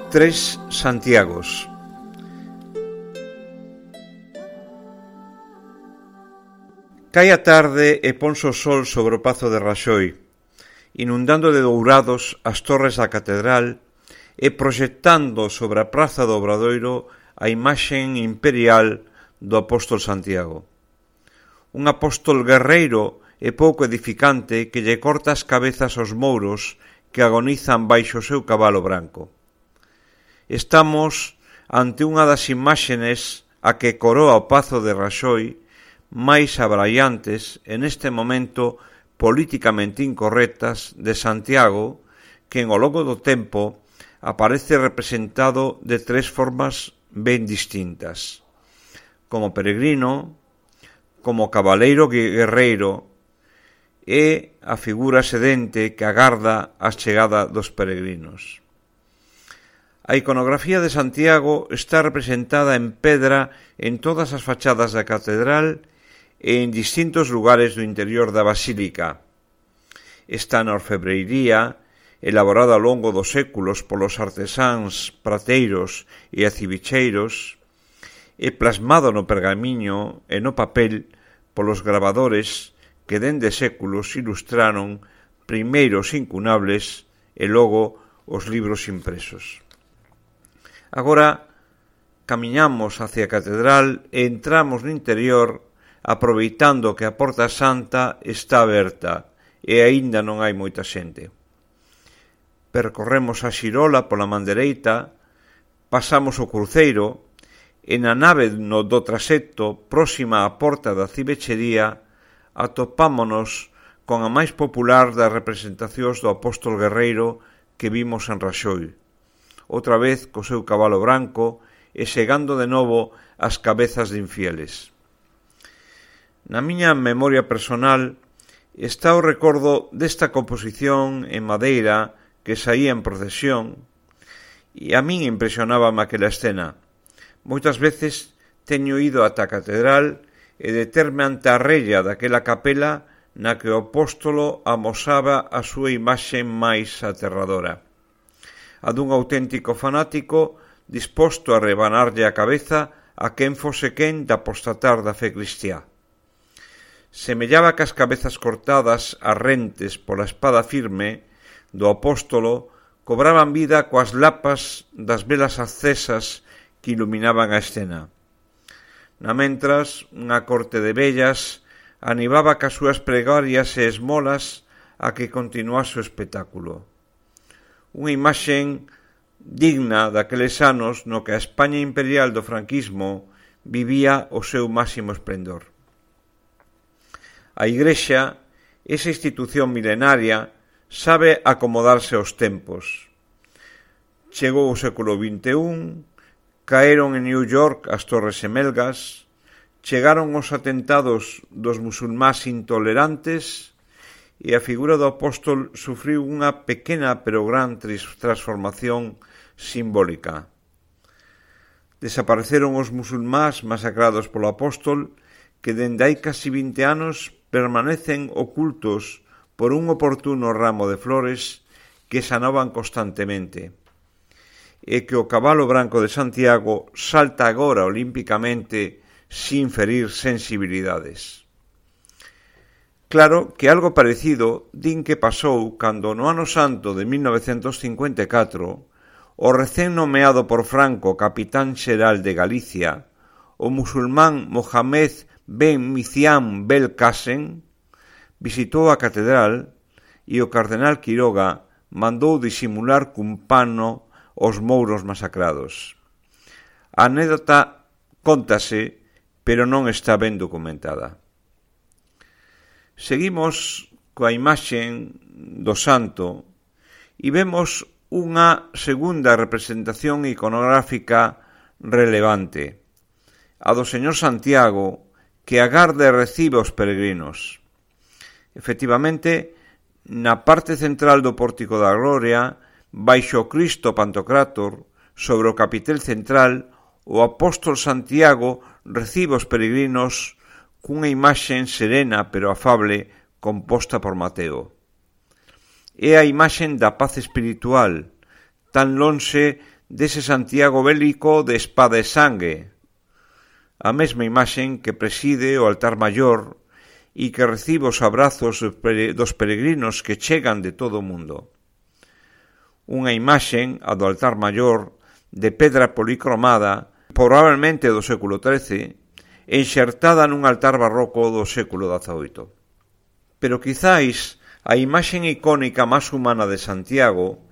Tres Santiagos. Cae a tarde e ponse o sol sobre o pazo de Raxoi, inundando de dourados as torres da catedral e proxectando sobre a praza do Obradoiro a imaxen imperial do apóstol Santiago. Un apóstol guerreiro e pouco edificante que lle corta as cabezas aos mouros que agonizan baixo o seu cabalo branco. Estamos ante unha das imaxenes a que coroa o pazo de Raxoi máis abraiantes en este momento políticamente incorrectas de Santiago, que en o longo do tempo aparece representado de tres formas ben distintas: como peregrino, como cabaleiro guerreiro e a figura sedente que agarda a chegada dos peregrinos. A iconografía de Santiago está representada en pedra en todas as fachadas da catedral e en distintos lugares do interior da basílica. Está na orfebrería, elaborada ao longo dos séculos polos artesáns, prateiros e acibicheiros, e plasmado no pergamiño e no papel polos gravadores que dende séculos ilustraron primeiro os incunables e logo os libros impresos. Agora camiñamos hacia a catedral e entramos no interior aproveitando que a porta santa está aberta e aínda non hai moita xente. Percorremos a xirola pola man dereita, pasamos o cruceiro e na nave do transepto próxima á porta da cibechería atopámonos con a máis popular das representacións do apóstol guerreiro que vimos en Raxoi, outra vez co seu cabalo branco e segando de novo as cabezas de infieles. Na miña memoria personal está o recordo desta composición en madeira que saía en procesión e a min impresionábame aquela escena. Moitas veces teño ido ata a catedral e determe ante a rella daquela capela na que o apóstolo amosaba a súa imaxe máis aterradora, a dun auténtico fanático disposto a rebanarlle a cabeza a quen fose quen de apostatar da fe cristiá. Semellaba que as cabezas cortadas a rentes pola espada firme do apóstolo cobraban vida coas lapas das velas accesas que iluminaban a escena. Namentras, unha corte de vellas animaba cas súas pregarias e esmolas a que continuase o espectáculo. Unha imaxen digna daqueles anos no que a España imperial do franquismo vivía o seu máximo esplendor. A Igrexa, esa institución milenaria, sabe acomodarse aos tempos. Chegou o século XXI, caeron en New York as torres gemelgas, chegaron os atentados dos musulmáns intolerantes e a figura do apóstol sufriu unha pequena pero gran transformación simbólica. Desapareceron os musulmáns masacrados polo apóstol que dende hai casi 20 anos permanecen ocultos por un oportuno ramo de flores que sanaban constantemente, e que o cabalo branco de Santiago salta agora olímpicamente sin ferir sensibilidades. Claro que algo parecido din que pasou cando no ano santo de 1954 o recén nomeado por Franco capitán xeral de Galicia, o musulmán Mohamed Ben Micián Belkacem, visitou a catedral e o cardenal Quiroga mandou disimular cun pano os mouros masacrados. A anécdota cóntase, pero non está ben documentada. Seguimos coa imaxen do santo e vemos unha segunda representación iconográfica relevante, a do señor Santiago, que agarda e recibe os peregrinos. Efectivamente, na parte central do Pórtico da Gloria, baixo o Cristo Pantocrátor, sobre o capitel central, o apóstol Santiago recibe os peregrinos cunha imaxen serena pero afable composta por Mateo. É a imaxen da paz espiritual, tan lonxe dese Santiago bélico de espada e sangue, a mesma imaxen que preside o altar maior e que recibe os abrazos dos peregrinos que chegan de todo o mundo. Unha imaxen, a do altar maior, de pedra policromada, probablemente do século XIII, enxertada nun altar barroco do século XVIII. Pero quizáis a imaxen icónica máis humana de Santiago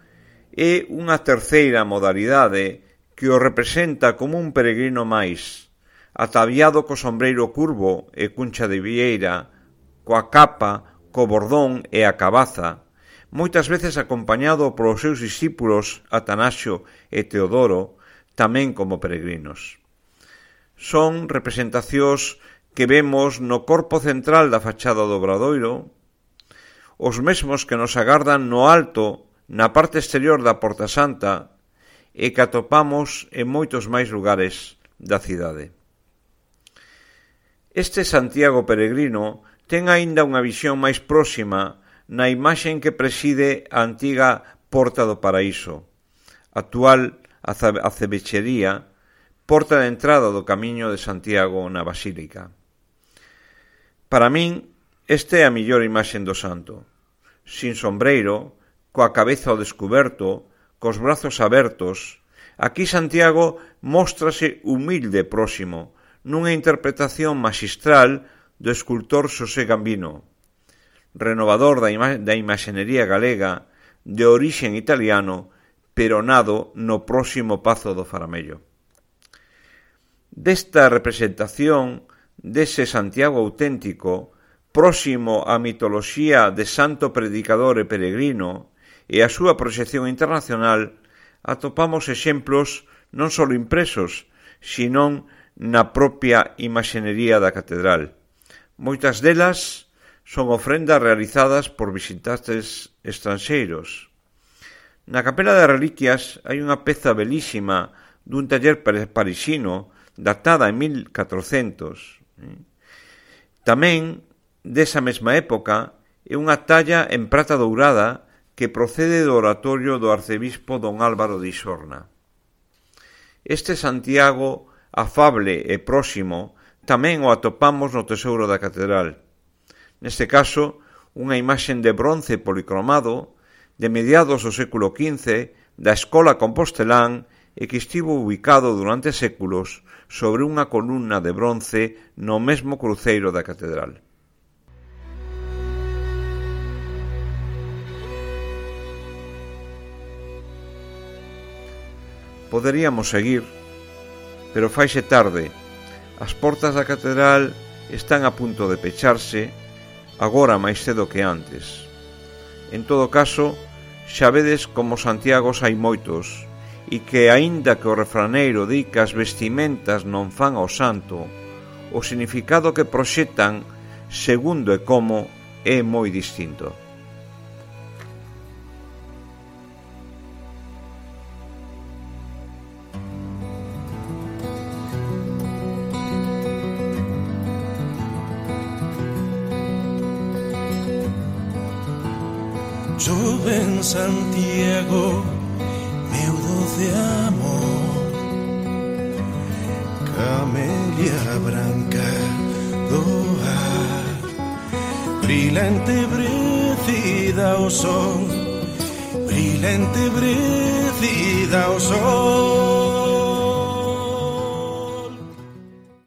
é unha terceira modalidade que o representa como un peregrino máis, ataviado co sombreiro curvo e cuncha de vieira, coa capa, co bordón e a cabaza, moitas veces acompañado polos seus discípulos Atanasio e Teodoro, tamén como peregrinos. Son representacións que vemos no corpo central da fachada do Obradoiro, os mesmos que nos agardan no alto, na parte exterior da Porta Santa, e que atopamos en moitos máis lugares da cidade. Este Santiago peregrino ten aínda unha visión máis próxima na imaxen que preside a antiga Porta do Paraíso, actual acebechería, porta de entrada do Camiño de Santiago na Basílica. Para min, esta é a mellor imaxen do santo, sin sombreiro, coa cabeza ao descuberto, cos brazos abertos. Aquí Santiago móstrase humilde e próximo, nunha interpretación maxistral do escultor Xosé Gambino, renovador da imaxenería galega, de orixen italiano, pero nado no próximo Pazo do Faramello. Desta representación dese Santiago auténtico, próximo á mitoloxía de santo predicador e peregrino e a súa proxección internacional, atopamos exemplos non só impresos, senón na propia imaxenería da catedral. Moitas delas son ofrendas realizadas por visitantes estranxeiros. Na capela de reliquias hai unha peza belísima dun taller parisino datada en 1400. Tamén, desa mesma época, é unha talla en prata dourada que procede do oratorio do arcebispo don Álvaro de Isorna. Este Santiago afable e próximo tamén o atopamos no tesouro da catedral. Neste caso, unha imaxen de bronce policromado de mediados do século XV da Escola Compostelán e que estivo ubicado durante séculos sobre unha columna de bronce no mesmo cruceiro da catedral. Poderíamos seguir, pero faise tarde. As portas da catedral están a punto de pecharse, agora máis cedo que antes. En todo caso, xa vedes como Santiagos hai moitos, e que, aínda que o refraneiro di que as vestimentas non fan ao santo, o significado que proxetan, segundo e como, é moi distinto. Joven Santiago, meu doce amor, camelia branca do ar, brilante brecida ao sol, brilante brecida ao sol.